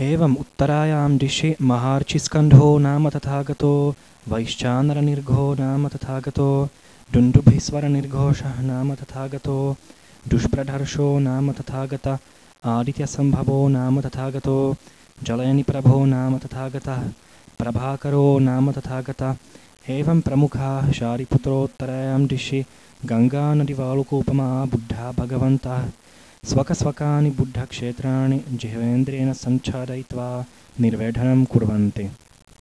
एवम् उत्तरायां दिशि महार्चिस्कन्धो नाम तथागतो वैश्चानरनिर्घो नाम तथागतो डुण्डुभिस्वरनिर्घोषः नाम तथागतो दुष्प्रधर्षो नाम तथागत आदित्यसम्भवो नाम तथागतो जलयनिप्रभो नाम तथागतः प्रभाकरो नाम तथागतः एवं प्रमुखाः शारिपुत्रोत्तरायां दिशि गङ्गानदीवालुकोपमा बुद्धा भगवन्तः स्वकस्वकानि बुद्धक्षेत्राणि जिह्वेन्द्रियेण सञ्चालयित्वा निर्वेढनं कुर्वन्ति।